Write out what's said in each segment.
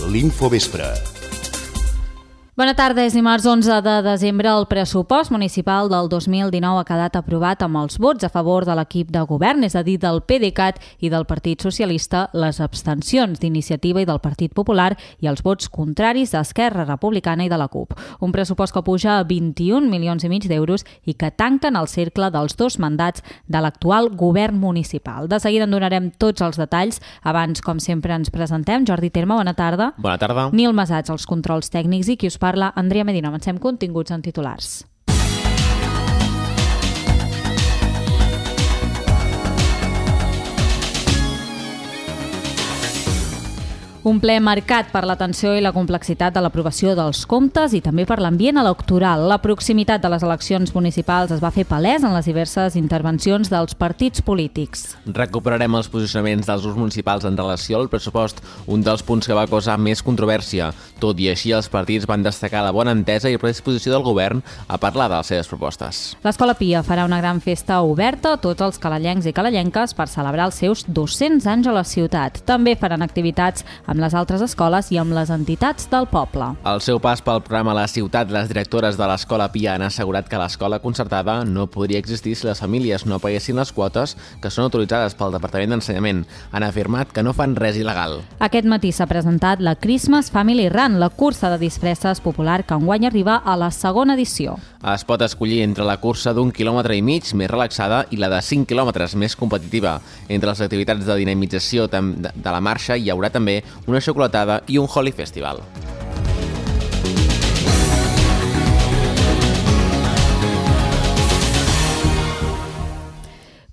l'Infovespre. Bona tarda, és dimarts 11 de desembre. El pressupost municipal del 2019 ha quedat aprovat amb els vots a favor de l'equip de govern, és a dir, del PDeCAT i del Partit Socialista, les abstencions d'Iniciativa i del Partit Popular i els vots contraris d'Esquerra Republicana i de la CUP. Un pressupost que puja a 21,5 milions d'euros i que tanquen el cercle dels 2 mandats de l'actual govern municipal. De seguida en donarem tots els detalls. Abans, com sempre, ens presentem. Jordi Terme, bona tarda. Bona tarda. Nil Masats, els controls tècnics, i qui us parla, Andrea Medina. Avancem continguts en titulars. Un ple marcat per la tensió i la complexitat de l'aprovació dels comptes i també per l'ambient electoral. La proximitat de les eleccions municipals es va fer palès en les diverses intervencions dels partits polítics. Recuperarem els posicionaments dels grups municipals en relació al pressupost, un dels punts que va causar més controvèrsia. Tot i així, els partits van destacar la bona entesa i predisposició del govern a parlar de les seves propostes. L'Escola Pia farà una gran festa oberta a tots els calallencs i calallenques per celebrar els seus 200 anys a la ciutat. També faran activitats amb les altres escoles i amb les entitats del poble. Al seu pas pel programa La Ciutat, les directores de l'Escola Pia han assegurat que l'escola concertada no podria existir si les famílies no paguessin les quotes que són autoritzades pel Departament d'Ensenyament. Han afirmat que no fan res il·legal. Aquest matí s'ha presentat la Christmas Family Run, la cursa de disfresses popular que enguany arriba a la segona edició. Es pot escollir entre la cursa d'1,5 quilòmetre més relaxada i la de 5 quilòmetres més competitiva. Entre les activitats de dinamització de la marxa hi haurà també una xocolatada i un Holi Festival.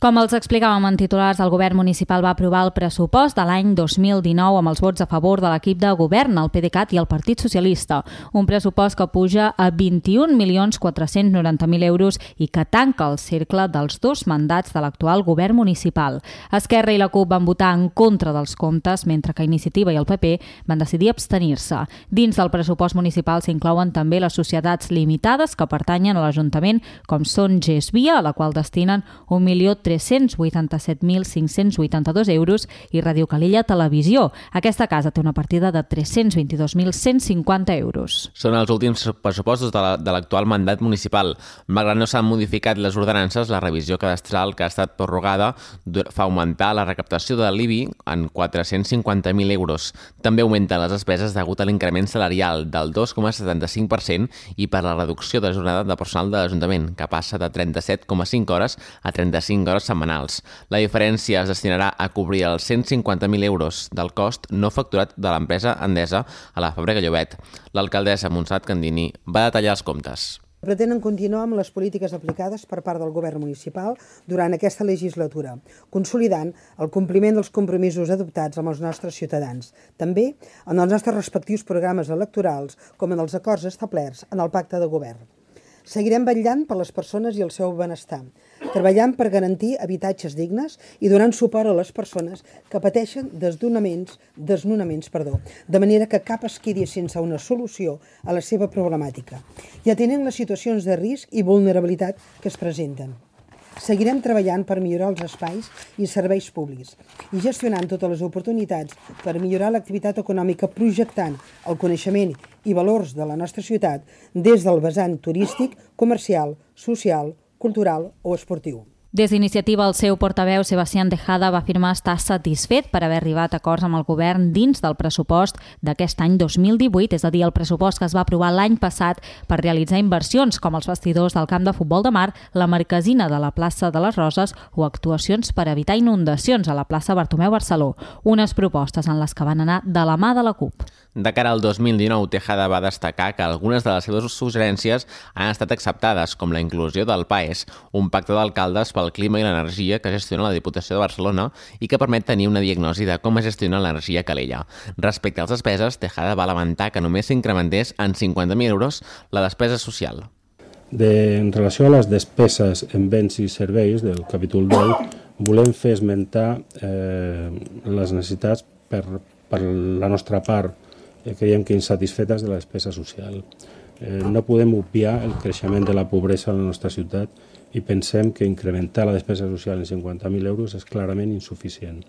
Com els explicàvem en titulars, el govern municipal va aprovar el pressupost de l'any 2019 amb els vots a favor de l'equip de govern, el PDeCAT i el Partit Socialista. Un pressupost que puja a 21,490,000 euros i que tanca el cercle dels 2 mandats de l'actual govern municipal. Esquerra i la CUP van votar en contra dels comptes, mentre que Iniciativa i el PP van decidir abstenir-se. Dins del pressupost municipal s'inclouen també les societats limitades que pertanyen a l'Ajuntament, com són GESVIA, a la qual destinen 1.387.582 euros, i Radio Calella Televisió. Aquesta casa té una partida de 322.150 euros. Són els últims pressupostos de l'actual mandat municipal. Malgrat no s'han modificat les ordenances, la revisió cadastral que ha estat prorrogada fa augmentar la recaptació de l'IBI en 450.000 euros. També augmenten les despeses degut a l'increment salarial del 2,75% i per la reducció de jornada de personal de l'Ajuntament, que passa de 37,5 hores a 35 hores setmanals. La diferència es destinarà a cobrir els 150.000 euros del cost no facturat de l'empresa Endesa a la Fàbrica Llobet. L'alcaldessa Montserrat Candini va detallar els comptes. Pretenen continuar amb les polítiques aplicades per part del govern municipal durant aquesta legislatura, consolidant el compliment dels compromisos adoptats amb els nostres ciutadans, també en els nostres respectius programes electorals com en els acords establerts en el pacte de govern. Seguirem vetllant per les persones i el seu benestar, treballant per garantir habitatges dignes i donant suport a les persones que pateixen desnonaments, de manera que cap es quedi sense una solució a la seva problemàtica, i atenent les situacions de risc i vulnerabilitat que es presenten. Seguirem treballant per millorar els espais i serveis públics i gestionant totes les oportunitats per millorar l'activitat econòmica, projectant el coneixement i valors de la nostra ciutat des del vessant turístic, comercial, social, cultural o esportiu. Des d'Iniciativa, el seu portaveu, Sebastián Tejada, va afirmar estar satisfet per haver arribat a acords amb el govern dins del pressupost d'aquest any 2018, és a dir, el pressupost que es va aprovar l'any passat per realitzar inversions com els vestidors del camp de futbol de Mar, la marquesina de la plaça de les Roses o actuacions per evitar inundacions a la plaça Bartomeu Barceló, unes propostes en les que van anar de la mà de la CUP. De cara al 2019, Tejada va destacar que algunes de les seves suggerències han estat acceptades, com la inclusió del PAES, un pacte d'alcaldes pel clima i l'energia que gestiona la Diputació de Barcelona i que permet tenir una diagnosi de com es gestiona l'energia a Calella. Respecte a les despeses, Tejada va lamentar que només s'incrementés en 50.000 euros la despesa social. En relació a les despeses en béns i serveis del capítol 10, volem fer esmentar les necessitats per la nostra part, creiem que insatisfetes de la despesa social. No podem obviar el creixement de la pobresa a la nostra ciutat i pensem que incrementar la despesa social en 50.000 euros és clarament insuficient.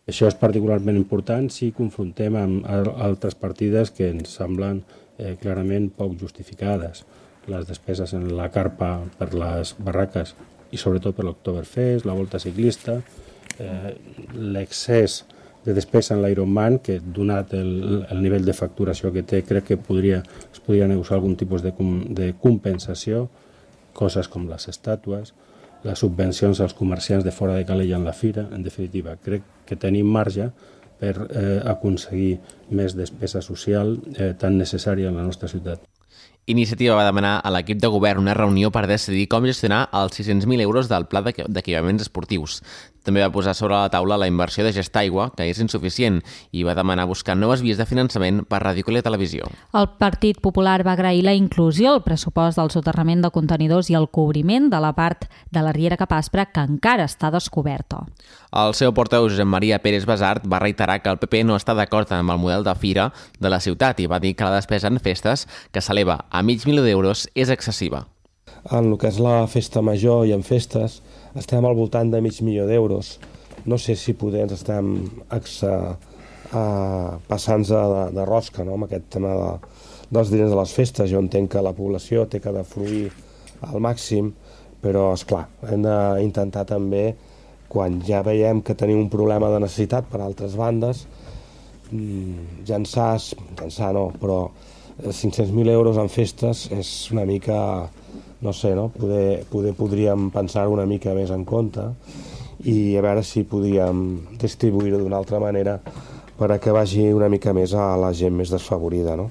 Això és particularment important si confrontem amb altres partides que ens semblen clarament poc justificades. Les despeses en la carpa per les barraques i sobretot per l'Oktoberfest, la volta ciclista, l'excés de despesa en l'Ironman, que donat el nivell de facturació que té, crec que es podria negociar algun tipus de compensació, coses com les estàtues, les subvencions als comerciants de fora de Calella en la fira. En definitiva, crec que tenim marge per aconseguir més despesa social tan necessària en la nostra ciutat. Iniciativa va demanar a l'equip de govern una reunió per decidir com gestionar els 600.000 euros del pla d'equipaments esportius. També va posar sobre la taula la inversió de Gestaigua, que és insuficient, i va demanar buscar noves vies de finançament per ràdio i televisió. El Partit Popular va agrair la inclusió al pressupost del soterrament de contenidors i el cobriment de la part de la Riera Capaspra que encara està descoberta. El seu portaveu, Josep Maria Pérez Basart, va reiterar que el PP no està d'acord amb el model de fira de la ciutat i va dir que la despesa en festes, que s'eleva a $500.000 d'euros, és excessiva. En el que és la festa major i en festes estem al voltant de $500.000 d'euros. No sé si poder ens estem passant-nos de rosca, no?, amb aquest tema dels diners de les festes. Jo entenc que la població té que defruir al màxim, però, esclar, hem d'intentar també, quan ja veiem que tenim un problema de necessitat per altres bandes, llançar no, però 500.000 euros en festes és una mica, no sé, no? Podríem pensar una mica més en compte i a veure si podíem distribuir-ho d'una altra manera per que vagi una mica més a la gent més desfavorida, no?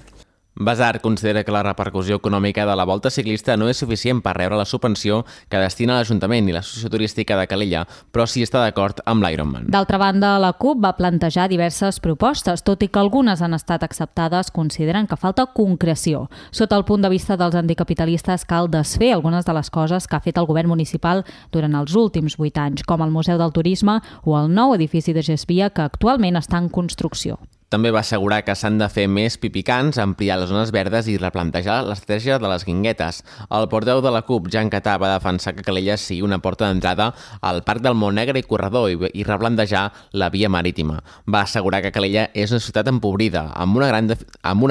Basart considera que la repercussió econòmica de la volta ciclista no és suficient per rebre la subvenció que destina l'Ajuntament i l'Associació Turística de Calella, però sí està d'acord amb l'Ironman. D'altra banda, la CUP va plantejar diverses propostes, tot i que algunes han estat acceptades, consideren que falta concreció. Sota el punt de vista dels anticapitalistes, cal desfer algunes de les coses que ha fet el govern municipal durant els últims 8 anys, com el Museu del Turisme o el nou edifici de Gesvia, que actualment està en construcció. També va assegurar que s'han de fer més pipicans, ampliar les zones verdes i replantejar l'estratègia de les guinguetes. El portaveu de la CUP, Jan Catà, va defensar que Calella sigui una porta d'entrada al Parc del Montnegre i Corredor i replantejar la via marítima. Va assegurar que Calella és una ciutat empobrida, amb una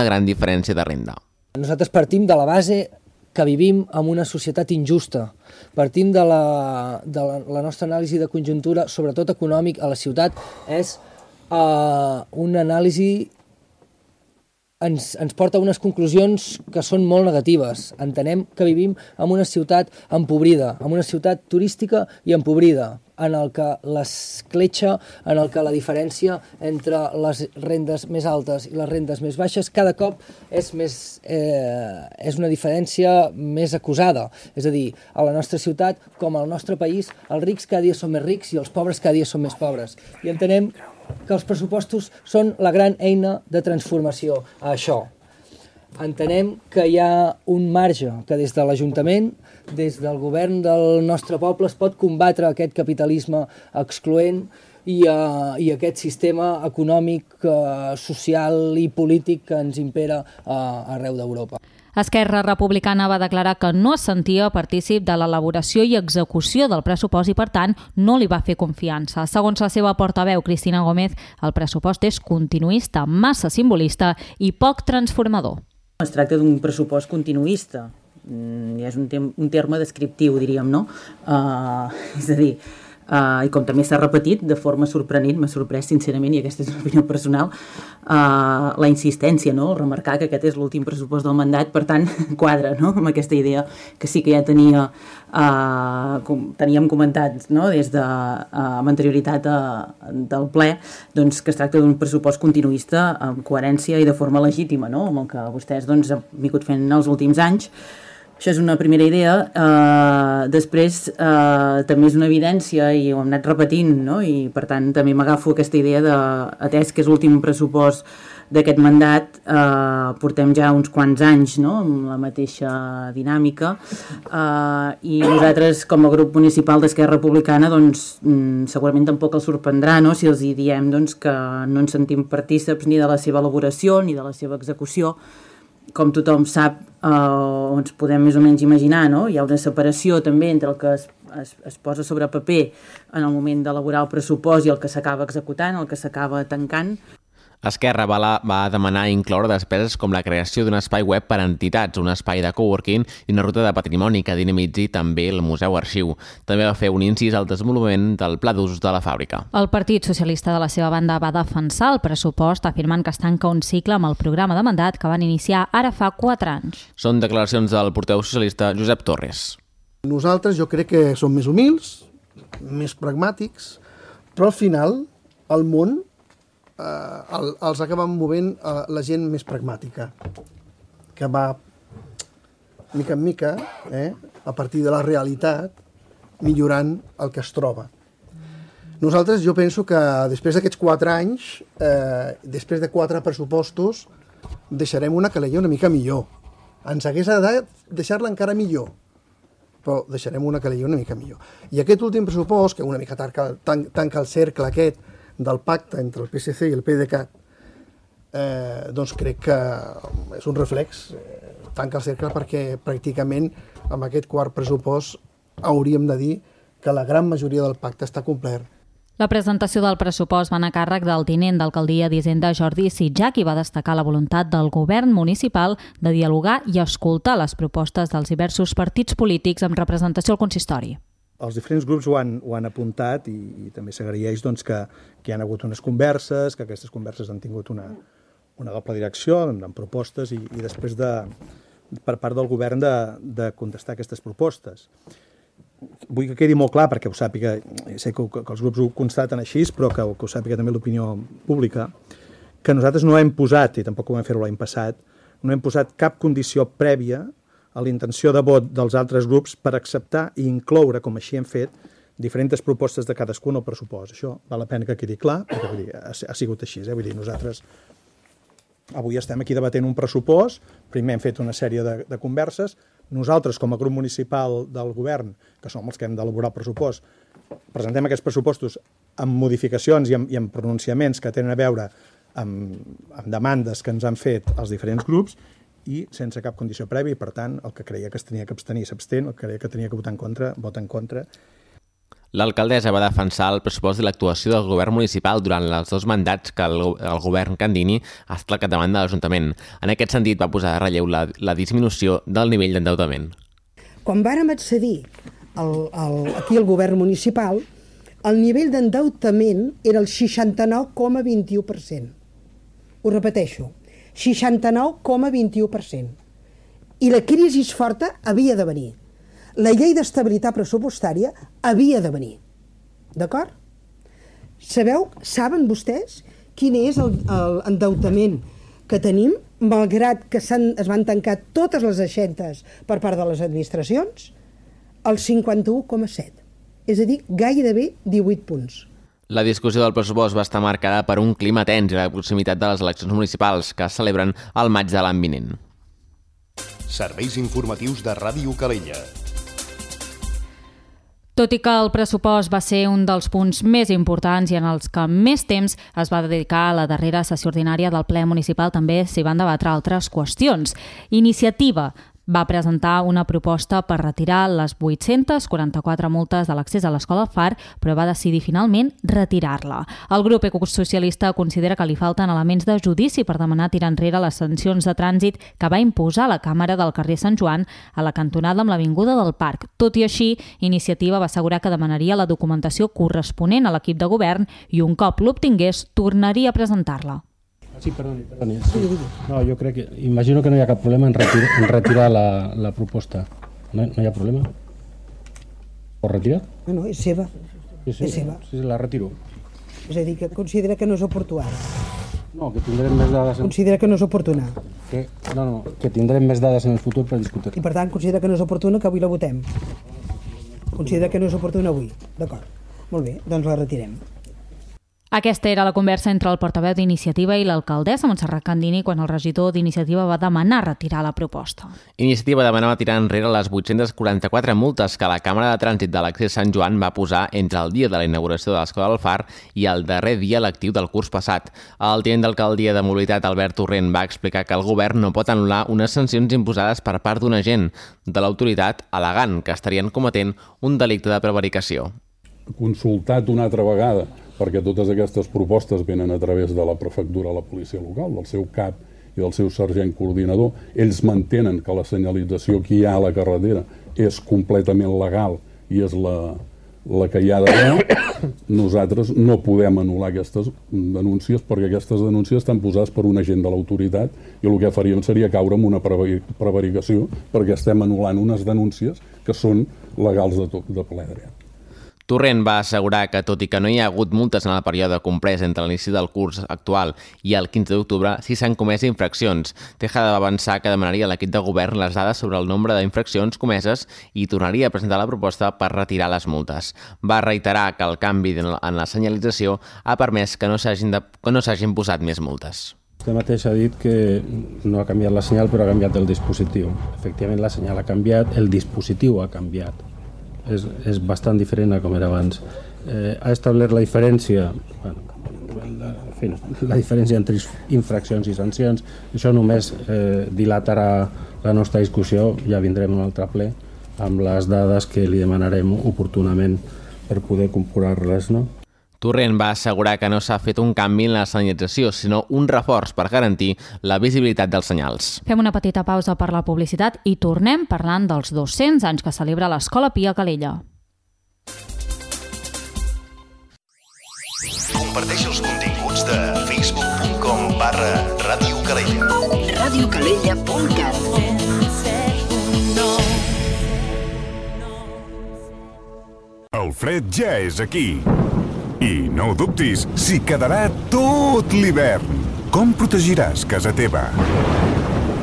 gran diferència de renda. Nosaltres partim de la base que vivim en una societat injusta. Partim de la nostra anàlisi de conjuntura, sobretot econòmic, a la ciutat, és una anàlisi ens porta a unes conclusions que són molt negatives. Entenem que vivim en una ciutat empobrida, en una ciutat turística i empobrida, en el que l'escletxa, en el que la diferència entre les rendes més altes i les rendes més baixes cada cop és una diferència més acusada. És a dir, a la nostra ciutat, com al nostre país, els rics cada dia són més rics i els pobres cada dia són més pobres. I entenem que els pressupostos són la gran eina de transformació a això. Entenem que hi ha un marge que des de l'Ajuntament, des del govern del nostre poble, es pot combatre aquest capitalisme excloent i aquest sistema econòmic, social i polític que ens impera arreu d'Europa. Esquerra Republicana va declarar que no es sentia partícip de l'elaboració i execució del pressupost i, per tant, no li va fer confiança. Segons la seva portaveu, Cristina Gómez, el pressupost és continuista, massa simbolista i poc transformador. Es tracta d'un pressupost continuista, és un terme descriptiu, diríem, no? És a dir, i com també s'ha repetit de forma sorprenent, m'ha sorprès sincerament, i aquesta és una opinió personal, la insistència, no? Remarcar que aquest és l'últim pressupost del mandat, per tant quadra, no?, amb aquesta idea que sí que ja teníem comentat, no?, des de amb anterioritat del ple, doncs que es tracta d'un pressupost continuista amb coherència i de forma legítima, no?, amb el que vostès doncs han vingut fent els últims anys. Això és una primera idea. Després també és una evidència i ho hem anat repetint, no? I per tant també m'agafo aquesta idea de, atès que és l'últim pressupost d'aquest mandat, portem ja uns quants anys, no?, amb la mateixa dinàmica, i nosaltres com a grup municipal d'Esquerra Republicana doncs segurament tampoc els sorprendrà, no?, si els hi diem doncs, que no ens sentim partícips ni de la seva elaboració ni de la seva execució. Com tothom sap, ens podem més o menys imaginar, no? Hi ha una separació també entre el que es posa sobre paper en el moment d'elaborar el pressupost i el que s'acaba executant, el que s'acaba tancant. Esquerra va demanar incloure despeses com la creació d'un espai web per a entitats, un espai de coworking i una ruta de patrimoni que dinamitzi també el Museu Arxiu. També va fer un incís al desenvolupament del pla d'usos de la fàbrica. El Partit Socialista de la seva banda va defensar el pressupost afirmant que es tanca un cicle amb el programa de mandat que van iniciar ara fa 4 anys. Són declaracions del portaveu socialista Josep Torres. Nosaltres jo crec que som més humils, més pragmàtics, però al final el món els acaben movent la gent més pragmàtica, que va mica en mica, a partir de la realitat, millorant el que es troba. Nosaltres, jo penso que després d'aquests 4 anys, després de 4 pressupostos, deixarem una calella una mica millor. Ens hagués agradat deixar-la encara millor, però deixarem una calella una mica millor. I aquest últim pressupost, que una mica tanca el cercle aquest del pacte entre el PSC i el PDeCAT, doncs crec que és un reflex, tanca el cercle, perquè pràcticament amb aquest quart pressupost hauríem de dir que la gran majoria del pacte està complert. La presentació del pressupost va anar a càrrec del tinent d'alcaldia d'Hisenda Jordi Sitjac i va destacar la voluntat del govern municipal de dialogar i escoltar les propostes dels diversos partits polítics amb representació al consistori. Els diferents grups ho han apuntat i també s'agraeix doncs, que hi ha hagut unes converses, que aquestes converses han tingut una doble direcció, amb propostes i després per part del govern de contestar aquestes propostes. Vull que quedi molt clar, perquè ho sàpiga, sé que els grups ho constaten així, però que ho sàpiga també l'opinió pública, que nosaltres no hem posat, i tampoc ho vam fer-ho l'any passat, no hem posat cap condició prèvia a la intenció de vot dels altres grups per acceptar i incloure, com així hem fet, diferents propostes de cadascun al pressupost. Això val la pena que quedi clar, perquè vull dir, ha sigut així. Vull dir, nosaltres avui estem aquí debatent un pressupost, primer hem fet una sèrie de converses, nosaltres com a grup municipal del govern, que som els que hem d'elaborar el pressupost, presentem aquests pressupostos amb modificacions i amb pronunciaments que tenen a veure amb demandes que ens han fet els diferents grups, i sense cap condició prèvia, i per tant, el que creia que es tenia que abstenir s'abstén, el que creia que tenia que votar en contra, vota en contra. L'alcaldessa va defensar el pressupost i l'actuació del govern municipal durant els 2 mandats que el govern Candini ha estat al capdavant de l'Ajuntament. En aquest sentit, va posar de relleu la disminució del nivell d'endeutament. Quan vàrem accedir aquí al govern municipal, el nivell d'endeutament era el 69,21%. Ho repeteixo, 69,21%. I la crisi forta havia de venir. La llei d'estabilitat pressupostària havia de venir. D'acord? Saben vostès quin és l'endeutament que tenim, malgrat que es van tancar totes les aixetes per part de les administracions? El 51,7. És a dir, gairebé 18 punts. La discussió del pressupost va estar marcada per un clima tens i la proximitat de les eleccions municipals que es celebren al maig de l'any vinent. Serveis informatius de Ràdio Calella. Tot i que el pressupost va ser un dels punts més importants i en els que més temps es va dedicar a la darrera sessió ordinària del ple municipal, també s'hi van debatre altres qüestions. Iniciativa va presentar una proposta per retirar les 844 multes de l'accés a l'escola Far, però va decidir finalment retirar-la. El grup ecosocialista considera que li falten elements de judici per demanar tirar enrere les sancions de trànsit que va imposar la Càmera del carrer Sant Joan a la cantonada amb l'Avinguda del Parc. Tot i així, Iniciativa va assegurar que demanaria la documentació corresponent a l'equip de govern i un cop l'obtingués tornaria a presentar-la. Sí, perdoni. Sí. No, jo crec que... Imagino que no hi ha cap problema en retirar la proposta. No hi ha problema? O retirar? No, és seva. Sí, és seva. Sí, la retiro. És a dir, que considera que no és oportú ara. No, que tindrem més dades... Considera que no és oportuna. Que tindrem més dades en el futur per discutir. I per tant, considera que no és oportuna que avui la votem. Considera que no és oportuna avui. D'acord. Molt bé, doncs la retirem. Aquesta era la conversa entre el portaveu d'Iniciativa i l'alcaldessa Montserrat Candini quan el regidor d'Iniciativa va demanar retirar la proposta. Iniciativa demanava tirar enrere les 844 multes que la Càmera de Trànsit de l'Accés Sant Joan va posar entre el dia de la inauguració de l'Escola del Far i el darrer dia lectiu del curs passat. El tinent d'alcaldia de Mobilitat, Albert Torrent, va explicar que el govern no pot anul·lar unes sancions imposades per part d'un agent de l'autoritat al·legant que estarien cometent un delicte de prevaricació. Consultat una altra vegada, perquè totes aquestes propostes venen a través de la prefectura, la policia local, del seu cap i del seu sergent coordinador. Ells mantenen que la senyalització que hi ha a la carretera és completament legal i és la que hi ha d'haver. Nosaltres no podem anul·lar aquestes denúncies perquè aquestes denúncies estan posades per un agent de l'autoritat i el que faríem seria caure en una prevaricació perquè estem anul·lant unes denúncies que són legals de ple dret. Torrent va assegurar que, tot i que no hi ha hagut multes en el període comprès entre l'inici del curs actual i el 15 d'octubre, sí s'han comès infraccions. Tejada va avançar que demanaria a l'equip de govern les dades sobre el nombre d'infraccions comeses i tornaria a presentar la proposta per retirar les multes. Va reiterar que el canvi en la senyalització ha permès que no s'hagin posat més multes. Vostè mateix ha dit que no ha canviat la senyal, però ha canviat el dispositiu. Efectivament, la senyal ha canviat, el dispositiu ha canviat. És bastant diferent a com era abans. Ha establert la diferència, la diferència entre infraccions i sancions. Això només dilatarà la nostra discussió, ja vindrem un altre ple amb les dades que li demanarem oportunament per poder comparar-les, no? Torrent va assegurar que no s'ha fet un canvi en la senyalització, sinó un reforç per garantir la visibilitat dels senyals. Fem una petita pausa per la publicitat i tornem parlant dels 200 anys que celebra l'Escola Pia Calella. Comparteix els continguts de facebook.com/Ràdio Calella. radiocalella.cat. El fred ja és aquí. I no ho dubtis, s'hi quedarà tot l'hivern. Com protegiràs casa teva?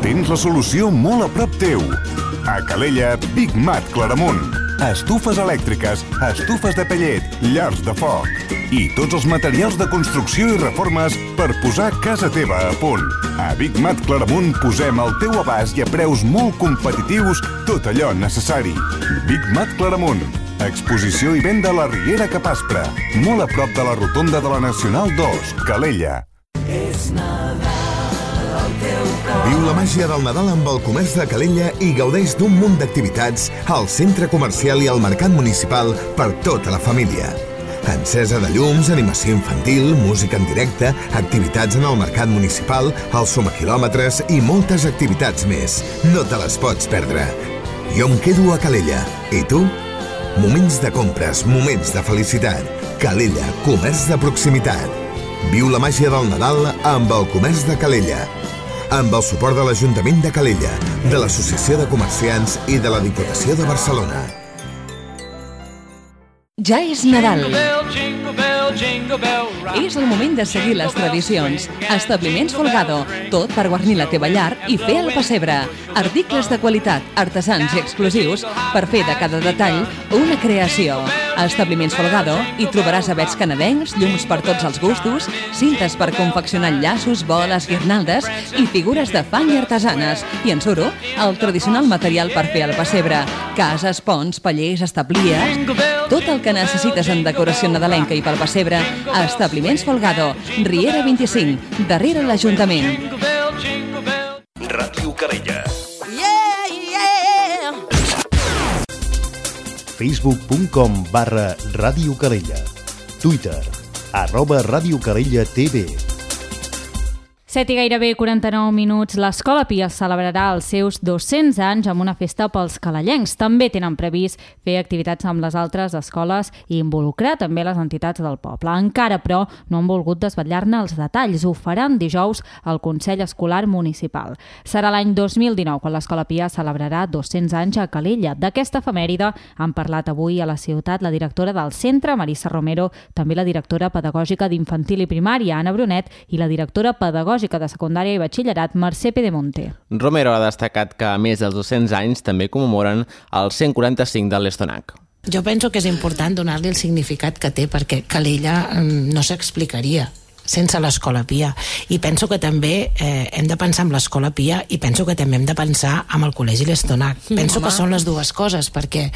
Tens la solució molt a prop teu. A Calella, Big Mat Claramunt. Estufes elèctriques, estufes de pellet, llars de foc i tots els materials de construcció i reformes per posar casa teva a punt. A Big Mat Claramunt posem al teu abast i a preus molt competitius tot allò necessari. Big Mat Claramunt. Exposició i venda a la Riera Capaspre, molt a prop de la rotonda de la Nacional 2, Calella. Viu la màgia del Nadal amb el comerç de Calella i gaudeix d'un munt d'activitats al centre comercial i al mercat municipal per tota la família. Encesa de llums, animació infantil, música en directe, activitats en el mercat municipal, els sumaquilòmetres i moltes activitats més. No te les pots perdre. Jo em quedo a Calella. I tu? Moments de compres, moments de felicitat. Calella, comerç de proximitat. Viu la màgia del Nadal amb el comerç de Calella. Amb el suport de l'Ajuntament de Calella, de l'Associació de Comerciants i de la Diputació de Barcelona. Ja és Nadal. És el moment de seguir les tradicions. Establiments Folgado, tot per guarnir la teva llar i fer el pessebre. Articles de qualitat, artesans i exclusius per fer de cada detall una creació. A Establiments Folgado hi trobaràs avets canadencs, llums per tots els gustos, cintes per confeccionar llaços, boles, guirnaldes i figures de fang i artesanes. I en suro, el tradicional material per fer el pessebre. Cases, ponts, pallers, establies... Tot el que necessites en decoració nadalenca i pel pessebre a Establiments Folgado, Riera 25, darrere l'Ajuntament. Ràdio Calella. Facebook.com/Ràdio Calella. Twitter, @Ràdio Calella TV. 7 i gairebé 49 minuts, l'Escola Pia celebrarà els seus 200 anys amb una festa pels calellencs. També tenen previst fer activitats amb les altres escoles i involucrar també les entitats del poble. Encara, però, no han volgut desvetllar-ne els detalls. Ho faran dijous al Consell Escolar Municipal. Serà l'any 2019 quan l'Escola Pia celebrarà 200 anys a Calella. D'aquesta efemèride han parlat avui a la ciutat la directora del centre, Marissa Romero, també la directora pedagògica d'infantil i primària, Anna Brunet, i la directora pedagògica de secundària i batxillerat, Mercè Pedemonte. Romero ha destacat que, a més dels 200 anys, també commemoren el 145 de l'Estonac. Jo penso que és important donar-li el significat que té, perquè Calella no s'explicaria sense l'Escola Pia, i penso que també hem de pensar en l'Escola Pia i penso que també hem de pensar en el Col·legi l'Estonac. Penso que són les dues coses, perquè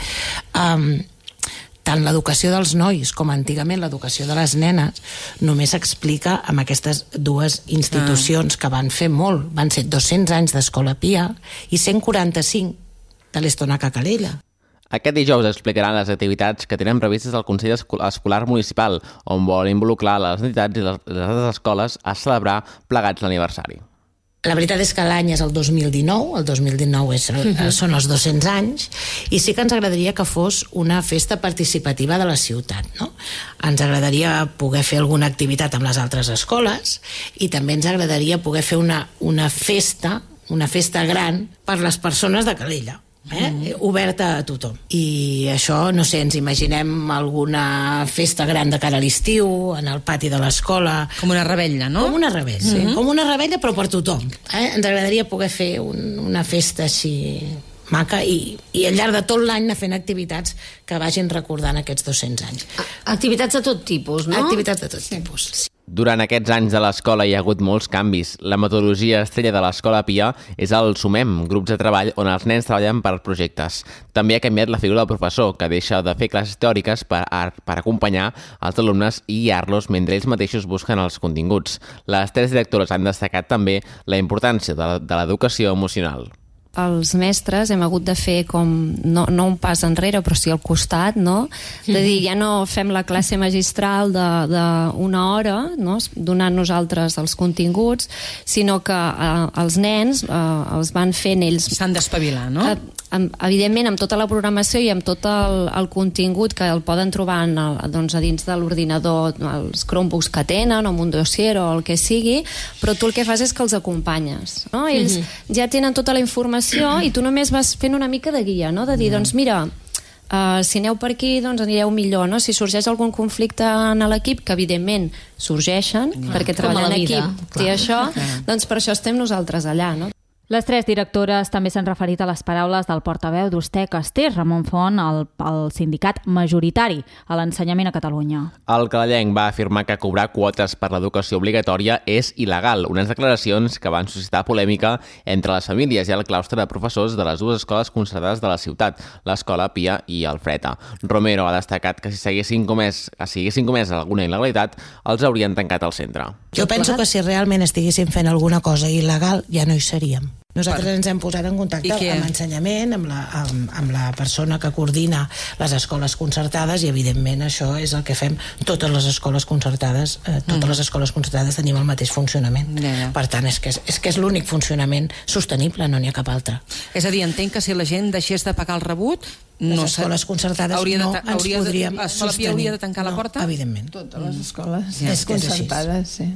tant l'educació dels nois com antigament l'educació de les nenes només s'explica amb aquestes dues institucions que van fer molt. Van ser 200 anys d'Escola Pia i 145 de l'Estonac a Calella. Aquest dijous explicaran les activitats que tenen previstes al Consell Escolar Municipal, on vol involucrar les entitats i les escoles a celebrar plegats l'aniversari. La veritat és que l'any és el 2019, el 2019 són els 200 anys, i sí que ens agradaria que fos una festa participativa de la ciutat, no? Ens agradaria poder fer alguna activitat amb les altres escoles i també ens agradaria poder fer una festa gran per les persones de Calella. Oberta a tothom. I això, no sé, ens imaginem alguna festa gran de cara a l'estiu, en el pati de l'escola. Com una revetlla, no? Com una revetlla, sí. Com una revetlla, però per tothom. Ens agradaria poder fer una festa així maca i al llarg de tot l'any anar fent activitats que vagin recordant aquests 200 anys. Activitats de tot tipus, no? Activitats de tot tipus, sí. Durant aquests anys de l'escola hi ha hagut molts canvis. La metodologia estrella de l'Escola Pia és el SUMEM, grups de treball on els nens treballen per projectes. També ha canviat la figura del professor, que deixa de fer classes teòriques per acompanyar els alumnes i guiar-los mentre ells mateixos busquen els continguts. Les tres directores han destacat també la importància de l'educació emocional. Els mestres hem hagut de fer com, no un pas enrere, però sí al costat, no? De dir, ja no fem la classe magistral d'una hora, no? Donant nosaltres els continguts, sinó que els nens els van fent ells. S'han d'espavilar, no? Evidentment, amb tota la programació i amb tot el contingut que el poden trobar a dins de l'ordinador, els Chromebooks que tenen, o amb un dossier o el que sigui, però tu el que fas és que els acompanyes, no? Ells ja tenen tota la informació i tu només vas fent una mica de guia, no? De dir, doncs mira, si aneu per aquí doncs anireu millor, no? Si sorgeix algun conflicte en l'equip, que evidentment sorgeixen, perquè treballar en equip té això, doncs per això estem nosaltres allà, no? Les tres directores també s'han referit a les paraules del portaveu d'Ustec Castells, Ramon Font, el sindicat majoritari a l'ensenyament a Catalunya. El calellenc va afirmar que cobrar quotes per l'educació obligatòria és il·legal, unes declaracions que van suscitar polèmica entre les famílies i el claustre de professors de les dues escoles concertades de la ciutat, l'Escola Pia i el Freta. Romero ha destacat que si haguessin comès alguna il·legalitat, els haurien tancat al centre. Jo penso que si realment estiguéssim fent alguna cosa il·legal ja no hi seríem. Nosaltres ens hem posat en contacte amb ensenyament, amb la persona que coordina les escoles concertades i evidentment això és el que fem totes les escoles concertades. Totes les escoles concertades tenim el mateix funcionament. Per tant, és que és l'únic funcionament sostenible, no n'hi ha cap altre. És a dir, entenc que si la gent deixés de pagar el rebut, les escoles concertades no ens podríem sostenir. Hauria de tancar la porta? Evidentment. Totes les escoles concertades, sí.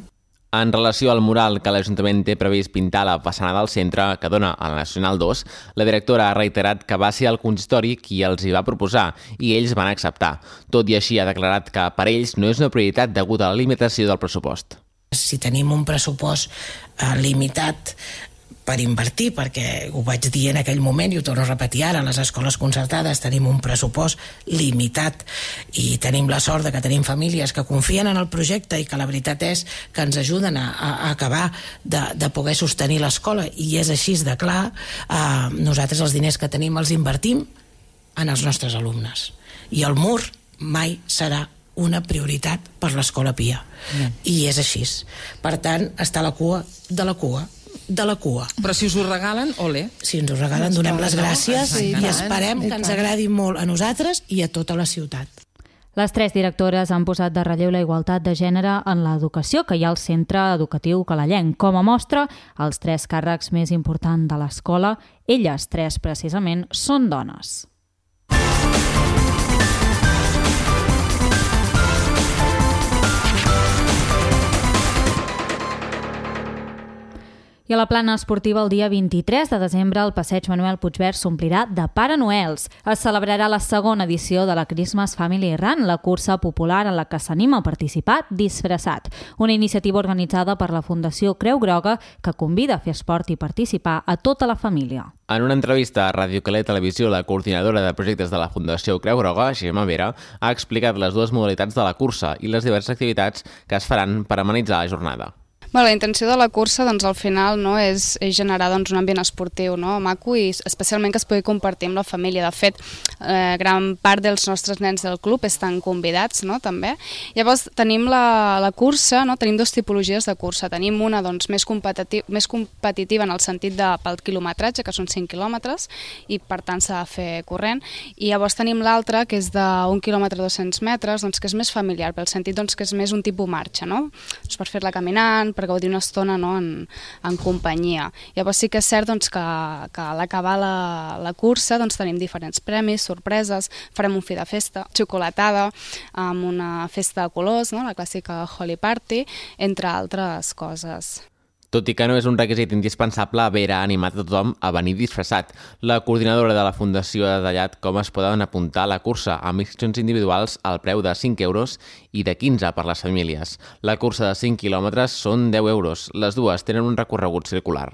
En relació al mural que l'Ajuntament té previst pintar a la façana del centre que dona a la Nacional 2, la directora ha reiterat que va ser el consistori qui els hi va proposar i ells van acceptar. Tot i així ha declarat que per ells no és una prioritat degut a la limitació del pressupost. Si tenim un pressupost limitat per invertir, perquè ho vaig dir en aquell moment i ho torno a repetir ara, les escoles concertades tenim un pressupost limitat i tenim la sort que tenim famílies que confien en el projecte i que la veritat és que ens ajuden a acabar de poder sostenir l'escola, i és així de clar. Nosaltres els diners que tenim els invertim en els nostres alumnes i el mur mai serà una prioritat per l'Escola Pia, i és així. Per tant, està a la cua de la cua de la cua. Però si us ho regalen, ole. Si ens ho regalen, donem les gràcies i esperem que ens agradi molt a nosaltres i a tota la ciutat. Les tres directores han posat de relleu la igualtat de gènere en l'educació que hi ha al centre educatiu calellenc. Com a mostra, els tres càrrecs més importants de l'escola, elles tres precisament, són dones. I I a la plana esportiva el dia 23 de desembre el passeig Manuel Puigverd s'omplirà de Pare Noels. Es celebrarà la segona edició de la Christmas Family Run, la cursa popular en la que s'anima a participar disfressat. Una iniciativa organitzada per la Fundació Creu Groga que convida a fer esport i participar a tota la família. En una entrevista a Ràdio Calella Televisió, la coordinadora de projectes de la Fundació Creu Groga, Gemma Vera, ha explicat les dues modalitats de la cursa i les diverses activitats que es faran per amenitzar la jornada. La intenció de la cursa al final és generar un ambient esportiu maco i especialment que es pugui compartir amb la família. De fet, gran part dels nostres nens del club estan convidats també. Llavors tenim la cursa, tenim dues tipologies de cursa. Tenim una més competitiva en el sentit pel quilometratge, que són 5 quilòmetres, i per tant s'ha de fer corrent. I llavors tenim l'altra, que és d'1 quilòmetre 200 metres, que és més familiar, pel sentit que és més un tipus marxa, per fer-la caminant, per gaudir una estona en companyia. Llavors sí que és cert que a l'acabar la cursa tenim diferents premis, sorpreses, farem un fi de festa, xocolatada, amb una festa de colors, la clàssica Holly Party, entre altres coses. Tot i que no és un requisit indispensable, Vera ha animat a tothom a venir disfressat. La coordinadora de la Fundació ha detallat com es poden apuntar a la cursa amb inscripcions individuals al preu de 5 euros i de 15 per les famílies. La cursa de 5 quilòmetres són 10 euros. Les dues tenen un recorregut circular.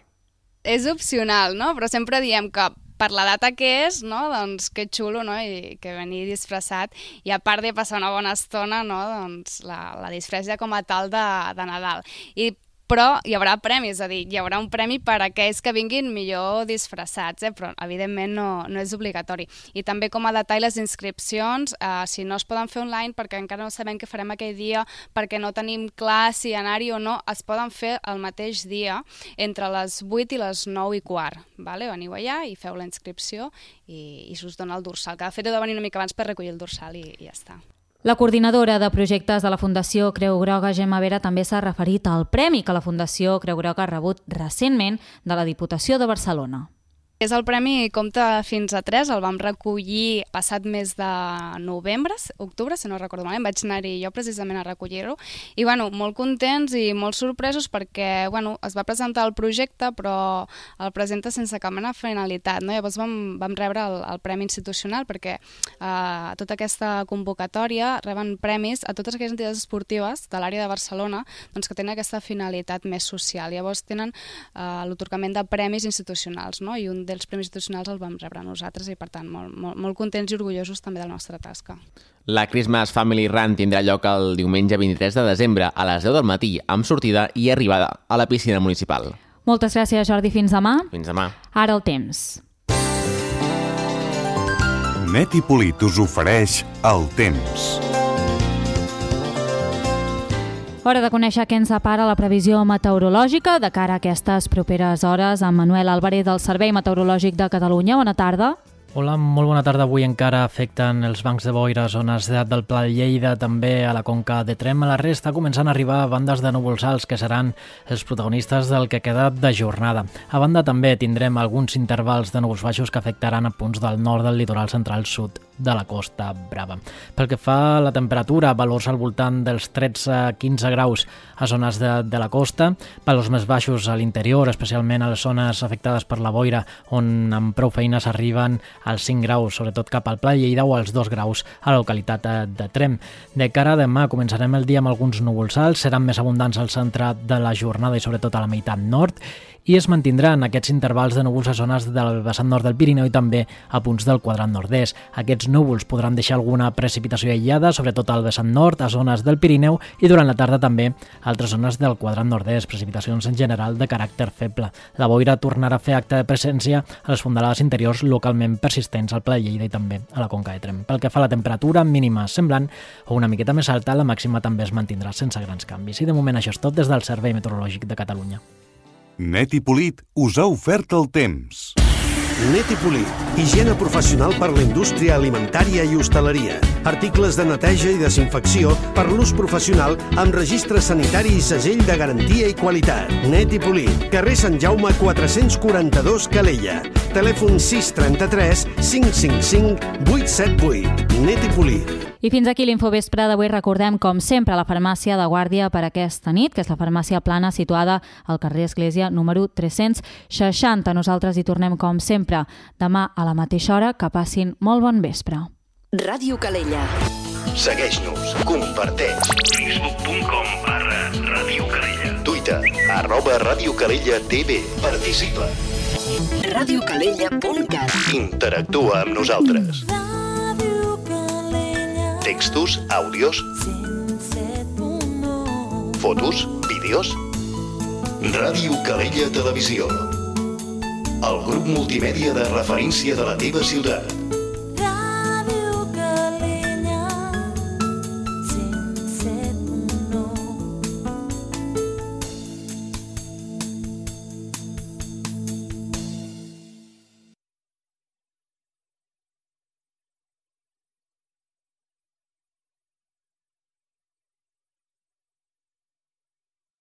És opcional, però sempre diem que per la data que és, que xulo, i que venir disfressat, i a part de passar una bona estona, la disfressa com a tal de Nadal. Però hi haurà premis, és a dir, hi haurà un premi per a aquells que vinguin millor disfressats, però evidentment no és obligatori. I també com a detall les inscripcions, si no es poden fer online perquè encara no sabem què farem aquell dia, perquè no tenim clar si anar-hi o no, es poden fer el mateix dia entre les 8 i les 9:15. Veniu allà i feu la inscripció i us dona el dorsal, que de fet heu de venir una mica abans per recollir el dorsal i ja està. La coordinadora de projectes de la Fundació Creu Groga, Gemma Vera, també s'ha referit al premi que la Fundació Creu Groga ha rebut recentment de la Diputació de Barcelona. És el premi Compta fins a 3, el vam recollir passat mes de novembre, octubre, si no recordo malament, vaig anar-hi jo precisament a recollir-ho, i molt contents i molt sorpresos perquè es va presentar el projecte però el presenta sense cap mena de finalitat, Llavors vam rebre el premi institucional perquè a tota aquesta convocatòria reben premis a totes aquelles entitats esportives de l'àrea de Barcelona que tenen aquesta finalitat més social. Llavors tenen l'atorgament de premis institucionals, i un dels premis institucionals el vam rebre nosaltres i, per tant, molt contents i orgullosos també de la nostra tasca. La Christmas Family Run tindrà lloc el diumenge 23 de desembre a les 10 del matí, amb sortida i arribada a la piscina municipal. Moltes gràcies, Jordi. Fins demà. Fins demà. Ara el temps. Net i Polit us ofereix el temps. Hora de conèixer què ens separa la previsió meteorològica de cara a aquestes properes hores amb Manuel Álvarez del Servei Meteorològic de Catalunya. Bona tarda. Hola, molt bona tarda. Avui encara afecten els bancs de boira a zones del Pla de Lleida, també a la conca de Tremp. A la resta començant a arribar bandes de núvols alts que seran els protagonistes del que queda de jornada. A banda també tindrem alguns intervals de núvols baixos que afectaran a punts del nord del litoral central sud de la Costa Brava. Pel que fa a la temperatura, valors al voltant dels 13-15 graus a zones de la costa, valors més baixos a l'interior, especialment a les zones afectades per la boira, on amb prou feines arriben als 5 graus, sobretot cap al Pla de Lleida, o als 2 graus a la localitat de Tremp. De cara a demà començarem el dia amb alguns núvols alts, seran més abundants al centre de la jornada i sobretot a la meitat nord, i es mantindran aquests intervals de núvols a zones del vessant nord del Pirineu i també a punts del quadrant nord-est. Aquests núvols podran deixar alguna precipitació aïllada, sobretot al vessant nord, a zones del Pirineu, i durant la tarda també a altres zones del quadrant nord-est, precipitacions en general de caràcter feble. La boira tornarà a fer acte de presència a les fondalades interiors localment persistents al Pla de Lleida i també a la conca de Tremp. Pel que fa a la temperatura mínima semblant o una miqueta més alta, la màxima també es mantindrà sense grans canvis. I de moment això és tot des del Servei Meteorològic de Catalunya. Net i Polit us ha ofert el temps. Netipolí, higiene professional per la indústria alimentària i hostaleria. Articles de neteja i desinfecció per l'ús professional amb registre sanitari i segell de garantia i qualitat. Netipolí, carrer Sant Jaume 442 Calella. Telèfon 633 555 878. Netipolí. I fins aquí l'Infovespre d'avui. Recordem, com sempre, la farmàcia de guàrdia per aquesta nit, que és la farmàcia Plana, situada al carrer Església número 360. Nosaltres hi tornem, com sempre, demà a la mateixa hora. Que passin molt bon vespre. Ràdio Calella. Segueix-nos, comparteix. Facebook.com/Ràdio Calella. Twitter, @Ràdio Calella TV. Participa. radiocalella.cat. Interactua amb nosaltres. Textos, àudios, fotos, vídeos. Ràdio Calella Televisió. El grup multimèdia de referència de la teva ciutat.